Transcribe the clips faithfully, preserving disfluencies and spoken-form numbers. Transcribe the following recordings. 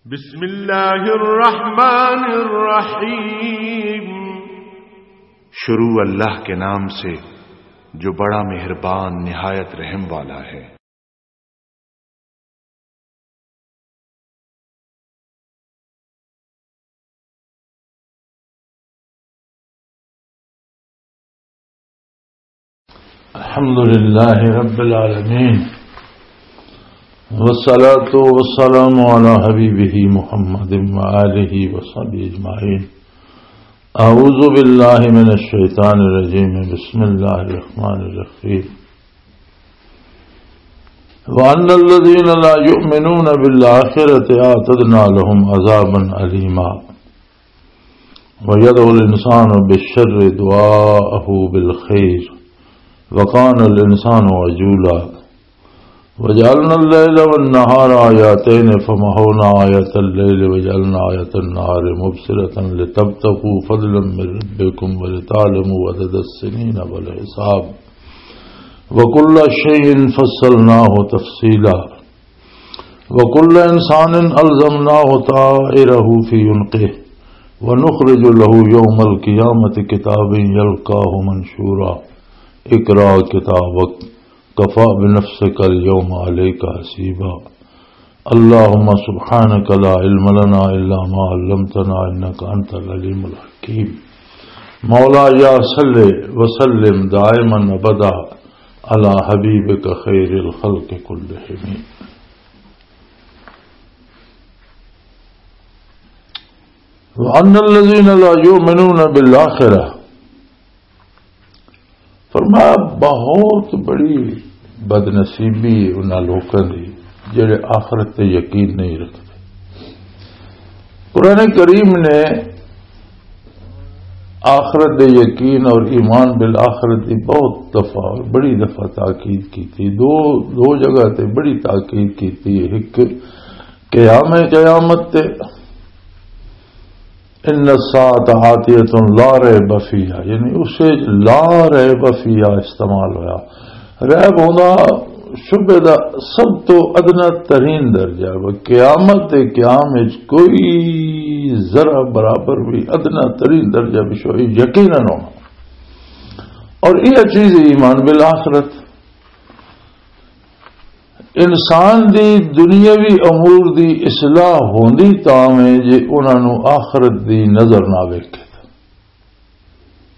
بسم اللہ الرحمن الرحیم۔ شروع اللہ کے نام سے، جو بڑا مہربان، نہایت رحم والا ہے۔ الحمد لله رب العالمين، والصلاة والسلام على حبيبه محمد وآله وصحبه أجمعين. أعوذ بالله من الشيطان الرجيم. بسم الله الرحمن الرحيم. وأن الذين لا يؤمنون بالآخرة أعتدنا لهم عذابا أليما. ويدعو الإنسان بالشر دعاءه بالخير وكان الإنسان عجولا. وجعلنا الليل والنهار آيتين فمحونا آية الليل وجعلنا آية النهار مبصرة لتبتغوا فضلا من ربكم ولتعلموا عدد السنين والحساب وكل شيء فصلناه تفصيلا. وكل إنسان ألزمناه طائره في عنقه ونخرج له يوم القيامة كتابا يلقاه منشورا. اقرأ كتابك كفى بنفسك اليوم عليك حسيبا. اللهم سبحانك لا علم لنا إلا ما علمتنا إنك أنت العليم الحكيم. مولاي صل وسلم دائما أبدا على حبيبك خير الخلق كلهم. وأن الذين لا يؤمنون بالآخرة، فرمایا، بہت بڑی بدنصیبی انہاں لوکاں دی جڑے آخرت تے یقین نہیں رکھتے۔ قرآن کریم نے آخرت دے یقین اور ایمان بالآخرت دی بہت دفعہ اور بڑی دفعہ تاکید کی تھی۔ دو، دو جگہ تے بڑی تاکید کی تھی۔ ایک قیام قیامت تے، ان الساعة آتیۃ لا ریب فیہا، یعنی اسے لا ریب فیہا استعمال ہویا۔ ریب ہوندا شبہ دا سب تو ادنا ترین درجہ ہے۔ قیامت دے قیام وچ کوئی ذرہ برابر بھی ادنا ترین درجہ بھی شو-، یقیناً ہونا۔ اور یہ چیز ایمان بالآخرت۔ انسان دی دنیاوی امور دی اصلاح ہوندی تاں وے جے انہاں نوں آخرت دی نظر نہ ویکھے۔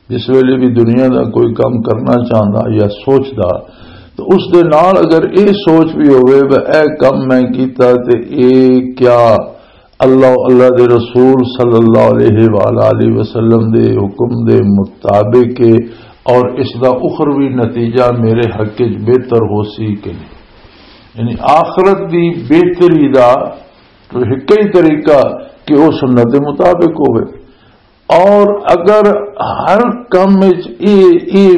جس ویلے بھی دنیا دا کوئی کم کرنا چاہندا یا سوچدا، تو اس دے نال اگر اے سوچ بھی ہوئے، "اے کم میں کیتا تے اے کیا اللہ، اللہ دے رسول صلی اللہ علیہ وآلہ وسلم دے حکم دے مطابق ہے، اور اس دا اخروی نتیجہ میرے حق وچ بہتر ہو سی کہ نہیں؟" یعنی آخرت دی بہتری دا تو ایک ہی طریقہ کہ وہ سنت دے مطابق ہوئے۔ اور اگر ہر کم وچ یہ، یہ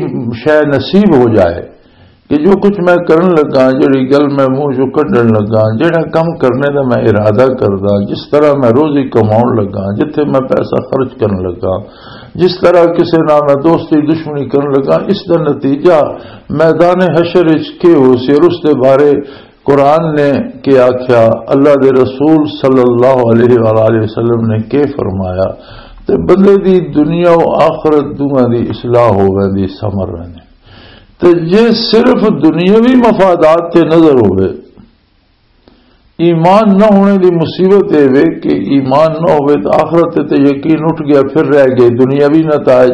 شے نصیب ہو جائے کہ جو کچھ میں کرن لگا، جڑی گل میں منہ چوں کڈن لگا، جڑا کم کرنے دا میں ارادہ کردا، جس طرح میں روزی کماؤن لگا، جتھے میں پیسہ خرچ کرن لگا، جس طرح کسے نال میں دوستی دشمنی کرن لگا، اس دا نتیجہ میدان حشر وچ کی ہو سی اور اس دے بارے قرآن نے کی آکھیا، اللہ دے رسول صلی اللہ علیہ وآلہ وسلم نے کی فرمایا، تے بندے دی دنیا و آخرت دوواں دی اصلاح ہو ویندی، سمر ویندی۔ تے جے صرف دنیاوی مفادات تے نظر ہوئے، ایمان نہ ہونے دی مصیبت اے وے کہ ایمان نہ ہوئے تے آخرت تے یقین اٹھ گیا، پھر رہ گئے دنیاوی نتائج۔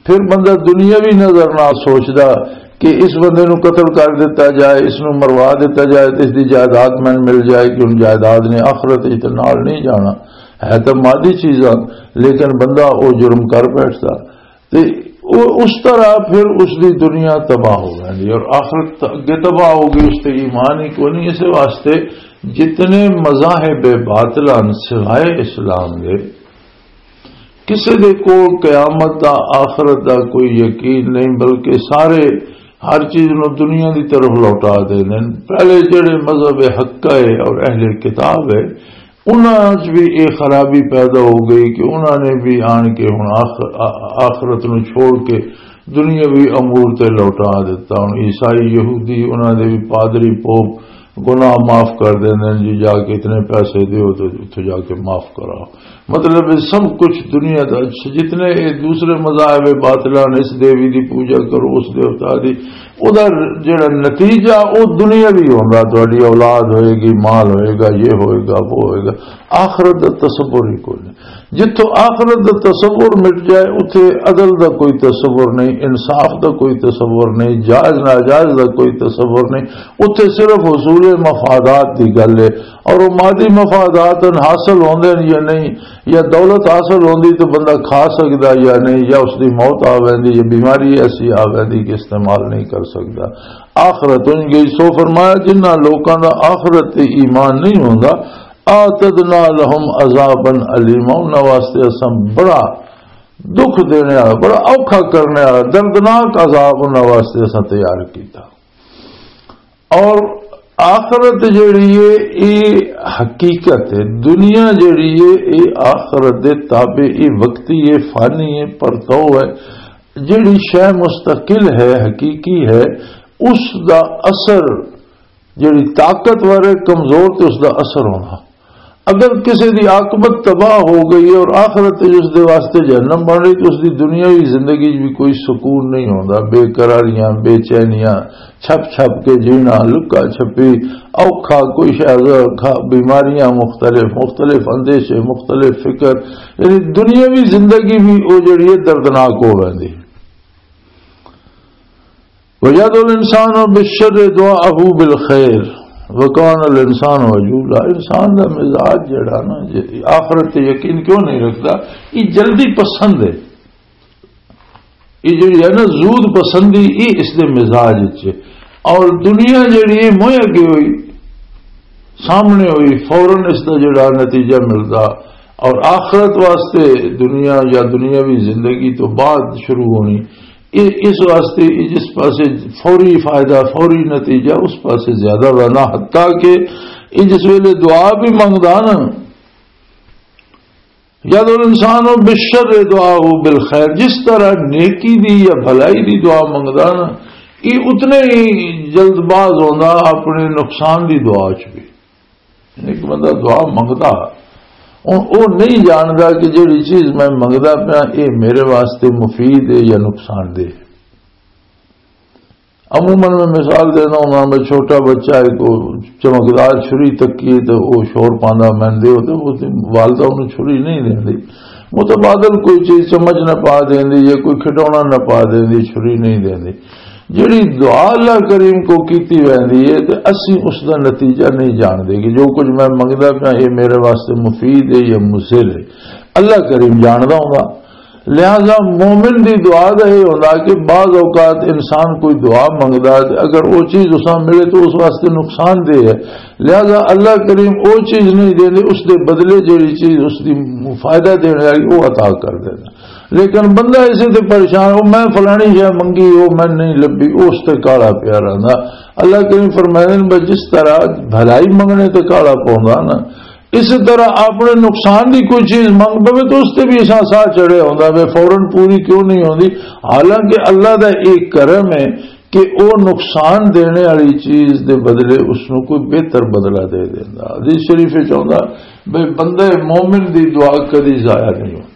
پھر بندہ دنیاوی نظر نہ سوچدا کہ اس بندے نو قتل کر دتا جائے، اس نو مروا دتا جائے، تے اس دی جائیداد میں مل جائے کہ ان جائیداد نے آخرت وچ تے نال نہیں جانا۔ ہے تے مادی چیزاں، لیکن بندہ او جرم کر بیٹھدا۔ تے او اس طرح پھر اس دی دنیا تباہ ہو جاندی اور آخرت اگے تباہ ہو گئی، اس تے ایمان ہی کوئی نہیں۔ اس واسطے جتنے مذاہب باطل ہن سوائے اسلام دے، کسے دے کول قیامت دا، آخرت دا کوئی یقین نہیں، بلکہ سارے ہر چیز نو دنیا دی طرف لوٹا دے دین۔ پہلے جڑے مذہب حق ہے اور اہل کتاب ہے، انہاں وچ بھی یہ خرابی پیدا ہو گئی کہ انہاں نے بھی آن کے ہن آخ-، آ-، آخرت نو چھوڑ کے دنیاوی امور تے لوٹا دیتا۔ ہن عیسائی، یہودی، انہاں دے بھی پادری، پوپ، گناہ معاف کر دیندے نے جی، جا کے اتنے پیسے دیو تو اتھے جا کے معاف کراؤ۔ مطلب، یہ سب کچھ دنیا دا اچھا، جتنے یہ دوسرے مذاہب باطلان، اس دیوی دی پوجا کرو، اس دیوتا دی، او دا جڑا نتیجہ، او دنیاوی ہوندا، تہاڈی اولاد ہوئے گی، مال ہوئے گا، یہ ہوئے گا، وہ ہوئے گا۔ آخرت دا تصور ہی کوئی نہیں۔ جتھوں آخرت دا تصور مٹ جائے، اتھے عدل دا کوئی تصور نہیں، انصاف دا کوئی تصور نہیں، جائز ناجائز دا کوئی تصور نہیں۔ اتھے صرف حصول مفادات دی گل ہے، اور وہ مادی مفادات حاصل ہوندے نے یا نہیں، یا دولت حاصل ہوندی تو بندہ کھا سکدا یا نہیں، یا اس دی موت آ ویندی، یا بیماری ایسی آ ویندی کہ استعمال نہیں کر سکدا۔ آخرت ان گئی۔ سو فرمایا، جنہاں لوکاں دا آخرت تے ایمان نہیں ہوندا، اعتدنا لهم عذابا الیما، انہاں واسطے اساں بڑا دکھ دینے والا، بڑا اوکھا کرنے والا، دردناک عذاب انہاں واسطے اساں تیار کیتا۔ اور آخرت جیڑی ہے، یہ حقیقت ہے۔ دنیا جیڑی ہے، یہ آخرت دے تابع، یہ وقتی ہے، فانی ہے، پرتو ہے۔ جیڑی شے مستقل ہے، حقیقی ہے، اس دا اثر، جیڑی طاقتور ہے، کمزور تے اس دا اثر ہونا۔ اگر کسی دی عاقبت تباہ ہو گئی ہے اور آخرت وچ اس دے واسطے جہنم بن رہی، تو اس دی دنیاوی زندگی وچ بھی کوئی سکون نہیں ہوندا، بے قراریاں، بے چینیاں، چھپ چھپ کے جینا، لکا چھپی، اوکھا، کوئی شے، اوکھا، بیماریاں مختلف، مختلف اندیشے، مختلف فکر، یعنی دنیاوی زندگی بھی وہ جڑی ہے دردناک ہو ویندی۔ وَيَدْعُ الْإِنسَانُ بِالشَّرِّ دُعَاءَهُ بِالْخَيْرِ وَكَانَ الْإِنسَانُ عَجُولًا۔ انسان دا مزاج جڑا نا، جے آخرت تے یقین کیوں نہیں رکھدا؟ یہ جلدی پسند ہے، یہ جڑی ہے نا زود پسندی، یہ اس دے مزاج وچ ہے۔ اور دنیا جڑی ہے موئے اگے ہوئی، سامنے ہوئی، فوراً اس دا جڑا نتیجہ ملدا۔ اور آخرت واسطے دنیا یا دنیاوی زندگی تو بعد شروع ہونی، اے اس واسطے اے جس پاسے فوری فائدہ، فوری نتیجہ، اس پاسے زیادہ رہنا، حتیٰ کہ اے جس ویلے دعا بھی منگدا نا، یدعو الانسان بالشر دعاء بالخیر، جس طرح نیکی دی یا بھلائی دی دعا منگدا نا، یہ اتنے ہی جلد باز ہوندا اپنے نقصان دی دعا چ بھی۔ ایک بندہ دعا منگدا، ہن او نہیں جاندا کہ جیڑی چیز میں منگدا پیا، اے میرے واسطے مفید ہے یا نقصان دہ ہے۔ عموماً میں مثال دینا ہوں، میں چھوٹا بچہ ہے، کو چمکدار چھری تکی ہے تو وہ شور پاندا، میں دے ہوتے، وہ تے والدہ انہوں چھری نہیں دیندی۔ متبادل کوئی چیز چمچ نہ پا دیندی یا کوئی کھڈونا نہ پا دیندی، چھری نہیں دیندی۔ جڑی دعا اللہ کریم کو کیتی ویندی ہے تے اسی اس دا نتیجہ نہیں جاندے کہ جو کچھ میں منگدا پیا، یہ میرے واسطے مفید ہے یا مضر ہے۔ اللہ کریم جاندا ہوندا۔ لہذا مومن دی دعا دا یہ ہوندا کہ بعض اوقات انسان کوئی دعا منگدا ہے، اگر وہ چیز اساں ملے تو اس واسطے نقصان دہ ہے۔ لہذا اللہ کریم وہ چیز نہیں دیندے، اس دے بدلے جڑی چیز اس دی فائدہ دینے والی، وہ عطا کر دینا۔ لیکن بندہ اسے تے پریشان، "او میں فلانی شے منگی، او میں نہیں لبھی"، او اس تے کالا پیا رہندا۔ اللہ کریم فرمائے نے، "بس جس طرح بھلائی منگنے تے کالا پوندا نا، اس طرح اپنے نقصان دی کوئی چیز منگ پوے تو اس تے بھی اساں ساہ چڑھے ہوندا وے، فوراً پوری کیوں نہیں ہوندی؟" حالانکہ اللہ دا ایک کرم ہے کہ او نقصان دینے والی چیز دے بدلے اس نوں کوئی بہتر بدلہ دے دیندا۔ حدیث شریف وچ آوندا، بھئی بندہ مومن دی دعا کدی ضائع نہیں ہوندی۔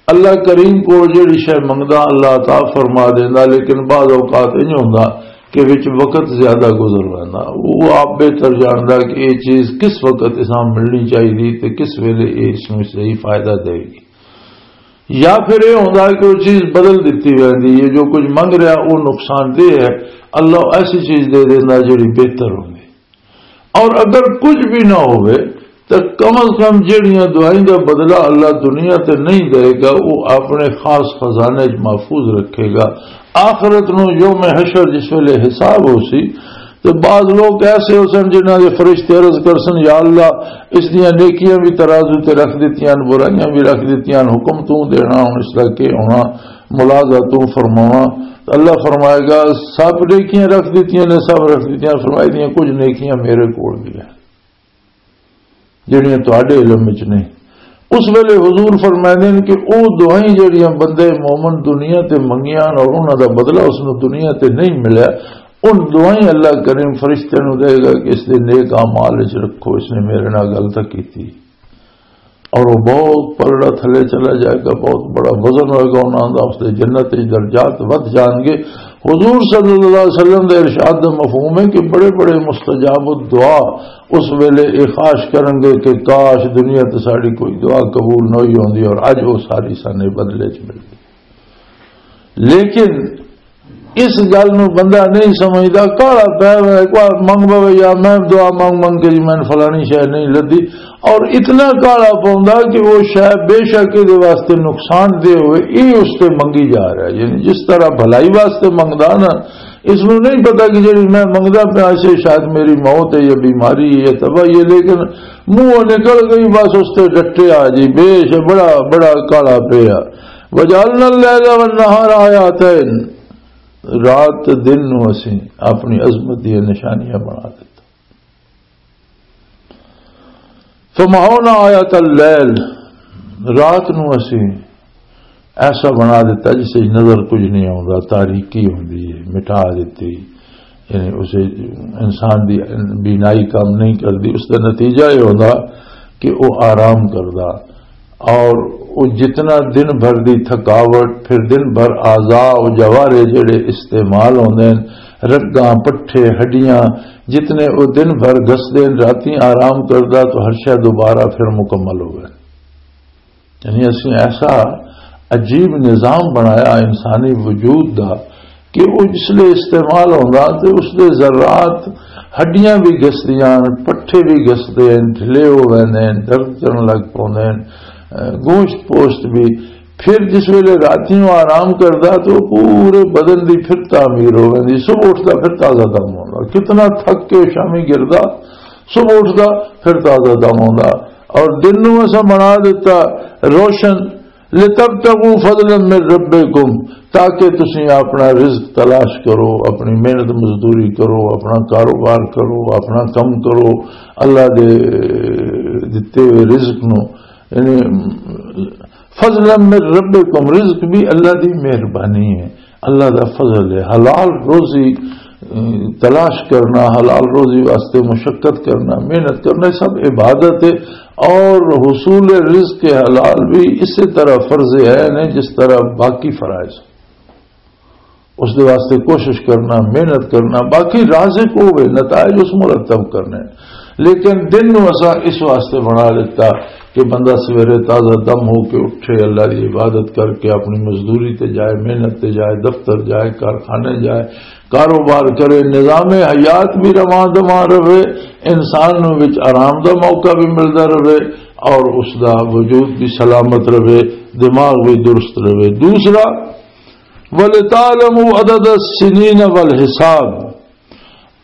اللہ کریم کو جڑی شے منگدا، اللہ عطا فرما دیندا، لیکن بعض اوقات انج ہوندا کہ وچ وقت زیادہ گزر ویندا۔ وہ آپ بہتر جاندا کہ یہ چیز کس وقت اساں ملنی چاہیے تے کس ویلے یہ اس نوں صحیح فائدہ دے گی۔ یا پھر یہ ہوندا کہ وہ چیز بدل دتی ویندی ہے، جو کچھ منگ رہا وہ نقصان دہ ہے، اللہ ایسی چیز دے دیندا جڑی بہتر ہوندی۔ اور اگر کچھ بھی نہ ہوئے تو کم از کم جڑیاں دعائیں دا بدلہ اللہ دنیا تے نہیں دے گا، وہ اپنے خاص خزانے وچ محفوظ رکھے گا۔ آخرت نو یوم حشر جس ویلے حساب ہو سی، تو بعض لوگ ایسے ہو سن جنہاں دے فرشتے عرض کر سن، "یا اللہ، اس دیاں نیکیاں بھی ترازو تے رکھ دتیاں، برائیاں بھی رکھ دتیاں، حکم تو دینا، ہن اس دا کی ہونا؟" ملازہ تو فرماواں۔ اللہ فرمائے گا، "سب نیکیاں رکھ دتیاں نے، سب رکھ دتیاں۔" فرمائی دیاں، "کچھ نیکیاں میرے کول بھی ہیں، جڑیاں تہاڈے علم وچ نہیں۔" اس ویلے حضور فرمائے نے کہ او دعائیں جڑیاں بندے مومن دنیا تے منگیاں اور انہاں دا بدلہ اس نوں دنیا تے نہیں ملیا، ان دعائیں اللہ کریم فرشتے نو دے گا کہ اس دے نیک اعمال وچ رکھو، اس نے میرے نال غلطی کیتی۔ اور وہ بہت پلڑا تھلے چلا جائے گا، بہت بڑا وزن ہوئے گا انہاں دا، اس دے جنت وچ درجات ودھ جان گے۔ حضور صلی اللہ علیہ وسلم دے ارشاد دا مفہوم ہے کہ بڑے بڑے مستجاب الدعا اس ویلے یہ خواہش کرن گے کہ کاش دنیا تے ساڈی کوئی دعا قبول نہ ہوئی ہوندی اور اج وہ ساری سانے بدلے چ مل گئی۔ لیکن اس گل نو بندہ نہیں سمجھدا، کالا پیا ہوا ہے، کوئی منگ پوے یا میں دعا منگ منگ کے جی میں فلانی شے نہیں لدی، اور اتنا کالا پوندا کہ وہ شے بے شک یہ واسطے نقصان دہ ہوئے، یہ اس تے منگی جا رہا ہے۔ یعنی جس طرح بھلائی واسطے منگدا نا، اس نو نہیں پتا کہ جڑی میں منگدا پیا اسے شاید میری موت ہے یا بیماری ہے یا تباہی ہے، لیکن منہ نکل گئی، بس اس تے ڈٹیا جی، بے شک بڑا بڑا کالا پیا۔ وجعلنا اللیل والنہار آیتین، رات تے دن نو اسیں اپنی عظمت دی نشانیاں بنا دتا۔ فمحونا آیت اللیل، رات نو اسیں ایسا بنا دتا جس وچ نظر کچھ نہیں آوندا، تاریکی ہوندی ہے، مٹا دتی۔ یعنی اسے انسان دی بینائی کام نہیں کردی، اس دا نتیجہ یہ ہوندا کہ وہ آرام کردا۔ اور وہ جتنا دن بھر دی تھکاوٹ، پھر دن بھر اعضاء و جوارے جڑے استعمال ہوندے ہیں، رگاں، پٹھے، ہڈیاں، جتنے وہ دن بھر گھسدے ہیں، راتیں آرام کردا تو ہر شے دوبارہ پھر مکمل ہوئے۔ یعنی اسی ایسا عجیب نظام بنایا انسانی وجود دا کہ وہ جس لئے استعمال ہوندا تے اس دے ذرات، ہڈیاں بھی گھسدیاں، پٹھے بھی گھسدے ہیں، ڈھلے ہو ویندے ہیں، درد کرن لگ پوندے ہیں، اے، گوشت پوشت بھی۔ پھر جس ویلے راتیوں آرام کردا تو پورے بدن دی پھر تعمیر ہو ویندی، صبح اٹھدا پھر تازہ دم ہوندا۔ کتنا تھک کے شامی گردا، صبح اٹھدا پھر تازہ دم ہوندا۔ اور دن نوں اساں بنا دتا روشن، لتبتغوا فضلا من ربکم، تاکہ تسی اپنا رزق تلاش کرو، اپنی محنت مزدوری کرو، اپنا کاروبار کرو، اپنا کم کرو، اللہ دے دتے ہوئے رزق نو، یعنی فضلا من ربکم، رزق بھی اللہ دی مہربانی ہے، اللہ دا فضل ہے۔ حلال روزی، ام، تلاش کرنا، حلال روزی واسطے مشقت کرنا، محنت کرنا، یہ سب عبادت ہے۔ اور حصول رزق حلال بھی اسی طرح فرض عین ہے جس طرح باقی فرائض۔ اس دے واسطے کوشش کرنا، محنت کرنا، باقی رازق ہوئے، نتائج اس مرتب کرنے۔ لیکن دن نو اساں اس واسطے بنا لیتا کہ بندہ سویرے تازہ دم ہو کے اٹھے، اللہ دی عبادت کر کے اپنی مزدوری تے جائے، محنت تے جائے، دفتر جائے، کارخانے جائے، کاروبار کرے، نظام حیات بھی رواں دواں رہے، انسان نوں وچ آرام دا موقع بھی ملدا رہے اور اس دا وجود بھی سلامت رہے، دماغ بھی درست رہے۔ دوسرا، وَلِتَعْلَمُوا عَدَدَ السِّنِينَ وَالْحِسَابَ،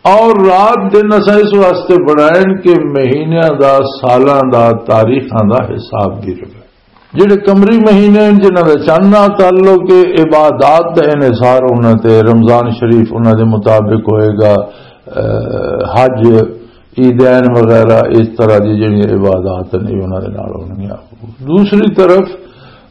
اور رات دن اساں اس واسطے بنائن کہ مہینیاں دا، سالاں دا، تاریخاں دا حساب بھی رہے۔ جڑے قمری مہینے ہیں، جنہاں دا چند نال تعلق ہے، عبادات دا انحصار انہاں تے، رمضان شریف انہاں دے مطابق ہوئے گا، اے، حج، عیدین وغیرہ، اس طرح دی جڑی عبادات نے، انہاں دے نال ہونگیاں۔ دوسری طرف،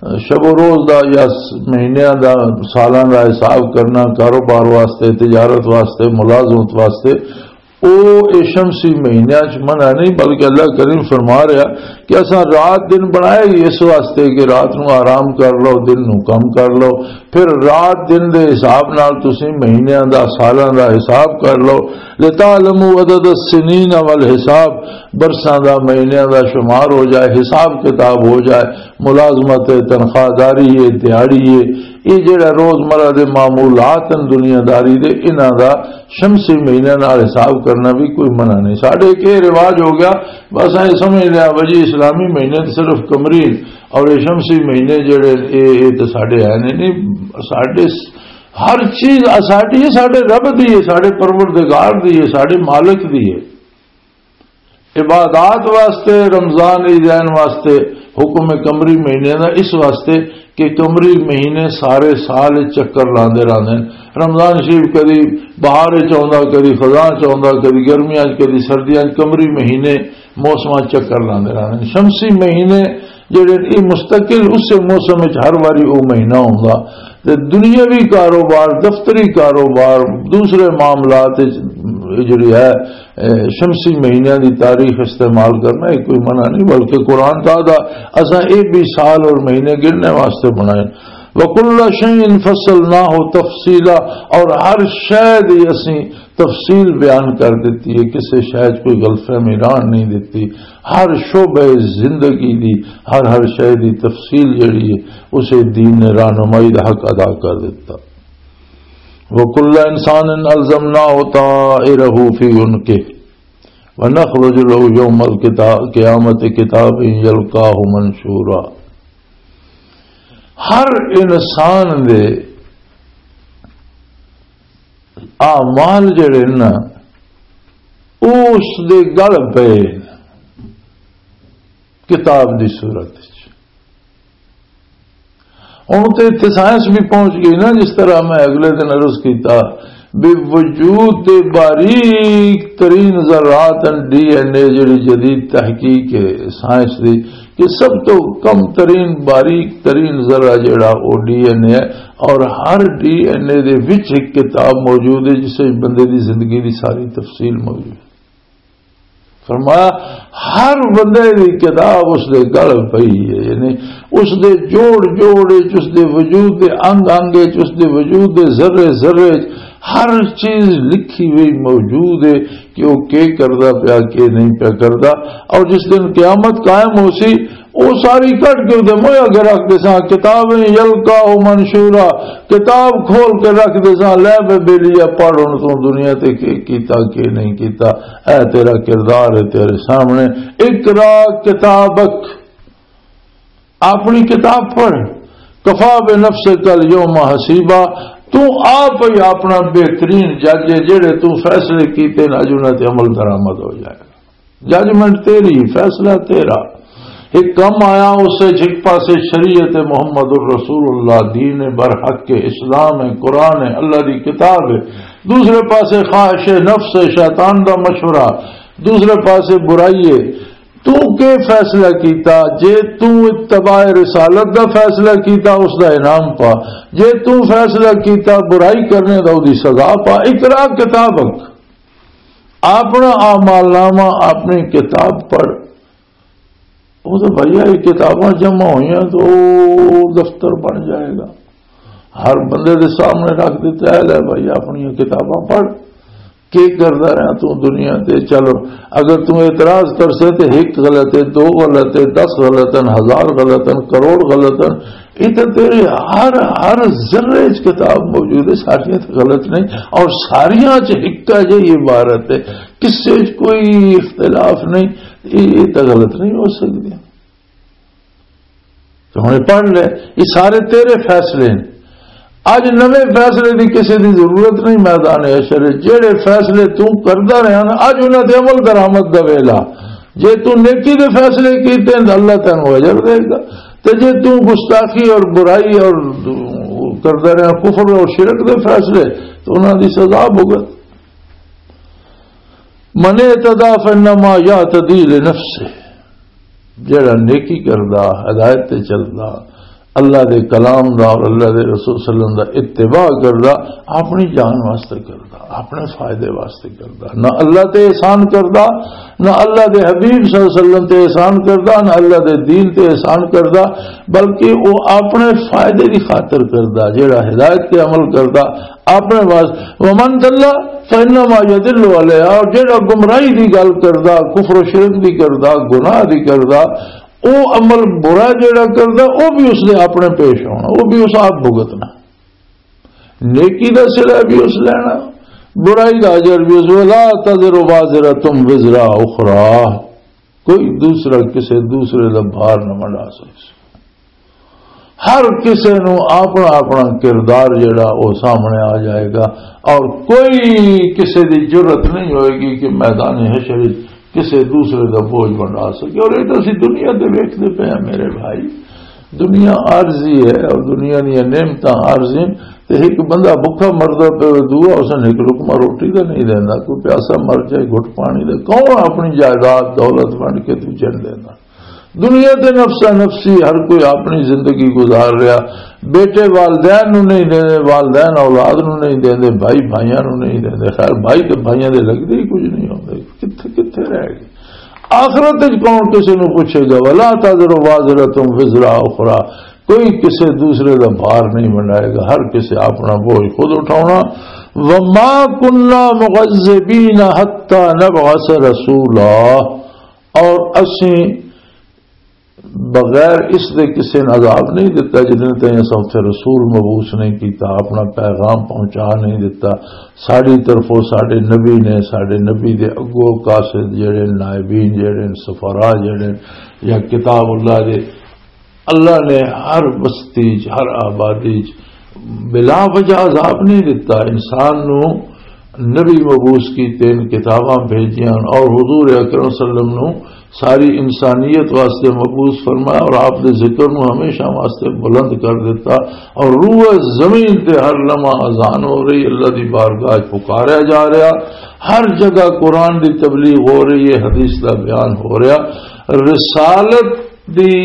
شب و روز دا یا س-، مہینیاں دا، سالاں دا حساب کرنا، کاروبار واسطے، تجارت واسطے، ملازمت واسطے، او اے شمسی مہینیاں چ منع نہیں، بلکہ اللہ کریم فرما رہا کہ اساں رات دن بنائے ہی اس واسطے کہ رات نو آرام کر لو، دن نو کم کر لو، پھر رات دن دے حساب نال تسی مہینیاں دا، سالاں دا حساب کر لو۔ لِتَعْلَمُوا عَدَدَ السِّنِينَ وَالْحِسَابَ، برساں دا، مہینیاں دا شمار ہو جائے، حساب کتاب ہو جائے، ملازمت ہے، تنخواہ داری ہے، دیہاڑی ہے، یہ جڑا روزمرہ دے معمولات ہیں دنیا داری دے، انہاں دا شمسی مہینے نال حساب کرنا بھی کوئی منع نہیں۔ ساڈے ایک یہ رواج ہو گیا، بس ایں سمجھ لیا بھائی اسلامی مہینے تے صرف قمری اور یہ شمسی مہینے جڑے، اے، اے تے ساڈے ہے نہیں۔ نہیں، ساڈے س-، ہر چیز ساڈی ہے، ساڈے رب دی ہے، ساڈے پروردگار دی ہے، ساڈے مالک دی ہے۔ عبادات واسطے، رمضان عیدین واسطے حکم قمری مہینے دا اس واسطے کہ قمری مہینے سارے سال چکر لاندے رہندے ہیں۔ رمضان شریف کدی بہار چ آوندا، کدی خزاں چ آوندا، کدی گرمیاں چ، کدی سردیاں چ، قمری مہینے موسماں چ چکر لاندے رہندے ہیں۔ شمسی مہینے جڑے، یہ مستقل اسے موسم وچ ہر واری او مہینہ ہوندا۔ تے دنیاوی کاروبار، دفتری کاروبار، دوسرے معاملات وچ جڑی ہے، اے، شمسی مہینیاں دی تاریخ استعمال کرنا، یہ کوئی منع نہیں، بلکہ قرآن تعالیٰ اساں اے بھی سال اور مہینے گننے واسطے بنائے۔ وَكُلَّ شَيْءٍ فَصَّلْنَاهُ تَفْصِيلًا، اور ہر شے دی اسیں تفصیل بیان کر دتی ہے، کسے شے چ کوئی غلط فہمی رہن نہیں دتی۔ ہر شعبہ زندگی دی، ہر ہر شے دی تفصیل جڑی ہے، اسے دین نے رہنمائی دا حق ادا کر دتا۔ وَكُلَّ إِنسَانٍ أَلْزَمْنَاهُ طَائِرَهُ فِي عُنُقِهِ وَنُخْرِجُ لَهُ يَوْمَ الْقِيَامَةِ كِتَابًا يَلْقَاهُ مَنشُورًا۔ ہر انسان دے اعمال جڑے نا، او اس دے گل پئے کتاب دی صورت وچ۔ ہن تے اتھے سائنس بھی پہنچ گئی نا، جس طرح میں اگلے دن عرض کیتا، بے وجود دے باریک ترین ذرات ہیں، ڈی این اے جڑی جدید تحقیق ہے سائنس دی، کہ سب تو کم ترین، باریک ترین ذرہ جڑا، وہ ڈی این اے ہے، اور ہر ڈی این اے دے وچ ایک کتاب موجود ہے، جس وچ بندے دی زندگی دی ساری تفصیل موجود ہے۔ فرمایا، ہر بندے دی کتاب اس دے گل پئی ہے، یعنی اس دے جوڑ جوڑ وچ، اس دے وجود دے انگ انگ وچ، اس دے وجود دے ذرے ذرے وچ ہر چیز لکھی ہوئی موجود ہے کہ وہ کی کردا پیا، کی نہیں پیا کردا۔ اور جس دن قیامت قائم ہو سی، وہ ساری کٹ کے ادھر مویا کے رکھ دے ساں، کتابیں یلقاہ منشورا، کتاب کھول کے رکھ دے ساں، لے بے بیلیا، پڑھ ہن تو دنیا تے کی کیتا، کی نہیں کیتا۔ اے تیرا کردار ہے تیرے سامنے، اقرا کتابک، اپنی کتاب پڑھ، کفا بنفسک الیوم حسیبا، تو آپ ہی اپنا بہترین جج ہے، جڑے تو فیصلے کیتے نا، اج انہاں تے عمل درآمد ہو جائے گا۔ ججمنٹ تیری، فیصلہ تیرا۔ ایک کم آیا، اس سے ایک پاسے شریعت محمد الرسول اللہ، دین برحق کے اسلام ہے، قرآن ہے، اللہ دی کتاب ہے، دوسرے پاسے خواہش نفس ہے، شیطان دا مشورہ، دوسرے پاسے برائی ہے۔ تو کے فیصلہ کیتا؟ جے تو اتباع رسالت دا فیصلہ کیتا، اس دا انعام پا۔ جے تو فیصلہ کیتا برائی کرنے دا، اودی سزا پا۔ اقرا کتابک، اپنا اعمال نامہ، اپنی کتاب پڑھ۔ وہ تو بھیا، یہ کتاباں جمع ہوئیاں تو دفتر بن جائے گا۔ ہر بندے دے سامنے رکھ دیتا ہے، لے بھائی، اپنی کتاباں پڑھ، کی کردا رہیا تو دنیا تے؟ چلو، اگر تو اعتراض کر سے تے ایک غلط ہے، دو غلط ہے، دس غلط ہیں، ہزار غلط ہیں، کروڑ غلط ہیں، یہ تو تیرے ہر، ہر ذرے چ کتاب موجود ہے، ساریاں تو غلط نہیں، اور ساریاں چ ایک جہی عبارت ہے، کسے چ کوئی اختلاف نہیں، یہ، یہ تو غلط نہیں ہو سکتی۔ تو ہن پڑھ لے، یہ سارے تیرے فیصلے ہیں۔ اج نویں فیصلے دی کسی دی ضرورت نہیں میدان حشر وچ۔ جہڑے فیصلے تو کردا رہیا نا، اج انہاں تے عمل درآمد دا ویلا۔ جے تو نیکی دے فیصلے کیتے ہیں، اللہ تینوں اجر دے گا، تے جے تو گستاخی اور برائی اور کردا رہیا کفر اور شرک دے فیصلے، تو انہاں دی سزا بھگت۔ من اعتدى فإنما يعتدي لنفسه، جڑا نیکی کردا، ہدایت تے چلدا، اللہ دے کلام دا اور اللہ دے رسول صلی اللہ علیہ وسلم دا اتباع کردا، اپنی جان واسطے کردا، اپنے فائدے واسطے کردا، نہ اللہ تے احسان کردا، نہ اللہ دے حبیب صلی اللہ علیہ وسلم تے احسان کردا، نہ اللہ دے دین تے احسان کردا، بلکہ وہ اپنے فائدے دی خاطر کردا، جڑا ہدایت تے عمل کردا، اپنے واسطے۔ ومن ضل فإنما يضل عليها، اور جڑا گمراہی دی گل کردا، کفر و شرک دی کردا، گناہ دی کردا، او عمل برا جڑا کردا، او بھی اس دے اپنے پیش ہونا، او بھی اس آپ بھگتنا۔ نیکی دا صلہ بھی اس لینا، برائی دا اجر بھی اس۔ ولا تزر وازرة وزر أخرى، کوئی دوسرا کسے دوسرے دا بھار نہ منڈا سکے۔ ہر کسے نو اپنا اپنا کردار جڑا، او سامنے آ جائے گا، اور کوئی کسے دی جرت نہیں ہوئے گی کہ میدان حشر وچ کسے دوسرے دا بوجھ بنا سکے۔ اور یہ تو اسی دنیا تے ویکھدے پئے ہاں میرے بھائی، دنیا عارضی ہے اور دنیا دیاں نعمتاں عارضی ہیں۔ تے ایک بندہ بھکھا مردا پے، دعا اس نے ایک لقمہ روٹی دا نہیں دیندا، کوئی پیاسا مر جائے گھٹ پانی دا، کون اپنی جائیداد دولت ونڈ کے دوجے نوں دیندا؟ دنیا تے نفسا نفسی، ہر کوئی اپنی زندگی گزار رہا۔ بیٹے والدین نو نہیں دیندے، والدین اولاد نو نہیں دیندے، بھائی بھائیاں نو نہیں دیندے۔ خیر، بھائی تے بھائیاں دے لگدے ہی کچھ نہیں ہوندے، کتھے کتھے رہ گئے؟ آخرت وچ کون کسے نو پوچھے گا؟ ولا تزر وازرۃ وزر اخری۔ کوئی کسے دوسرے دا بھار نہیں بنائے گا، ہر کسے اپنا بوجھ خود اٹھاونا۔ وما كنا معذبين حتى نبعث رسولا، اور اسیں بغیر اس دے کسے نے عذاب نہیں دتا جدن تائیں اساں اتھے رسول مبعوث نہیں کیتا، اپنا پیغام پہنچا نہیں دتا۔ ساڈی طرفوں ساڈے نبی نے، ساڈے نبی دے اگوں قاصد جڑے، نائبین جڑے، سفراء جڑے، یا کتاب اللہ دے، اللہ نے ہر بستی چ، ہر آبادی چ بلا وجہ عذاب نہیں دتا۔ انسان نو نبی مبعوث کیتے، ان کتاباں بھیجیاں اور حضور اکرم صلی اللہ علیہ وسلم نو ساری انسانیت واسطے مبعوث فرمایا اور آپ دے ذکر نو ہمیشہ واسطے بلند کر دیتا۔ اور روح زمین تے ہر لمحہ اذان ہو رہی، اللہ دی بارگاہ چ پکاریا جا رہا، ہر جگہ قرآن دی تبلیغ ہو رہی ہے، حدیث دا بیان ہو رہا۔ رسالت دی،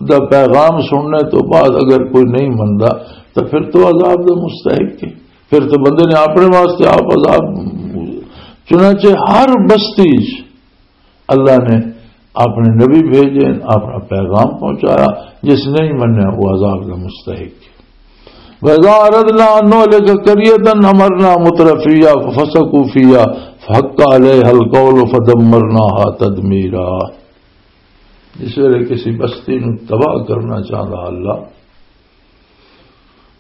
دا پیغام سننے تو بعد اگر کوئی نہیں مندا تو پھر تو عذاب دا مستحق ہے، پھر تو بندے نے اپنے واسطے آپ عذاب۔ چنانچہ ہر بستی چ اللہ نے اپنے نبی بھیجے، اپنا پیغام پہنچایا، جس نہیں منیا وہ عذاب دا مستحق ہے۔ وَإِذَا أَرَدْنَا أَن نُهْلِكَ قَرْيَةً أَمَرْنَا مُتْرَفِيهَا فَفَسَقُوا فِيهَا فَحَقَّ عَلَيْهَا الْقَوْلُ فَدَمَّرْنَاهَا تَدْمِيرًا۔ جس ویلے کسی بستی نو تباہ کرنا چاہتا اللہ،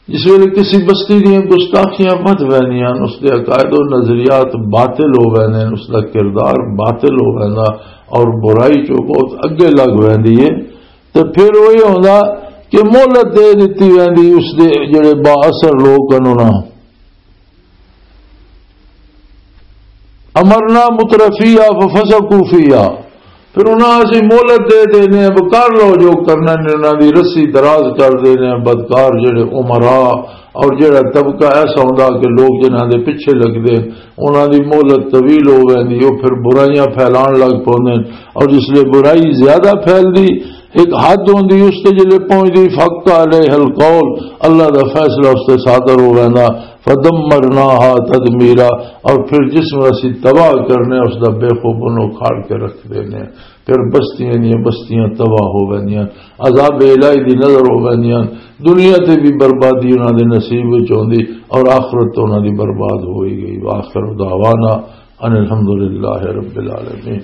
جس ویلے کسی بستی دیاں گستاخیاں ودھ ویندیاں، اس دے عقائد و نظریات باطل ہو ویندے، اس دا کردار باطل ہو ویندا اور برائی چوں بہت اگے لگ ویندی ہے، تے پھر وہی ہوندا کہ مہلت دے دتی ویندی اس دے جڑے با اثر لوگ ہن انہاں۔ امرنا مترفیہ ففسقوا فیہا، پھر انہاں اسی مہلت دے دینے، اب کر لو جو کرنا نے، انہاں دی رسی دراز کر دینے۔ بدکار جڑے امراء اور جڑا طبقہ ایسا ہوندا کہ لوگ جنہاں دے پیچھے لگدے، انہاں دی مہلت طویل ہو ویندی، او پھر برائیاں پھیلان لگ پوندے۔ اور جس لے برائی زیادہ پھیلدی، ایک حد ہوندی، اس تے جلے پہنچدی، فحق علیہ القول، اللہ دا فیصلہ اس تے صادر ہو ویندا، فدمرناها تدمیرا، اور پھر جس میں اسی تباہ کرنے، اس دا بے خوب انہوں کھاڑ کے رکھ دینے۔ پھر بستیاں دیاں بستیاں تباہ ہو ویندیاں، عذاب الہی دی نظر ہو ویندیاں، دنیا تے بھی بربادی انہاں دے نصیب وچ ہوندی اور آخرت تو انہاں دی برباد ہوئی گئی۔ وآخر دعوانا ان الحمدللہ رب العالمین۔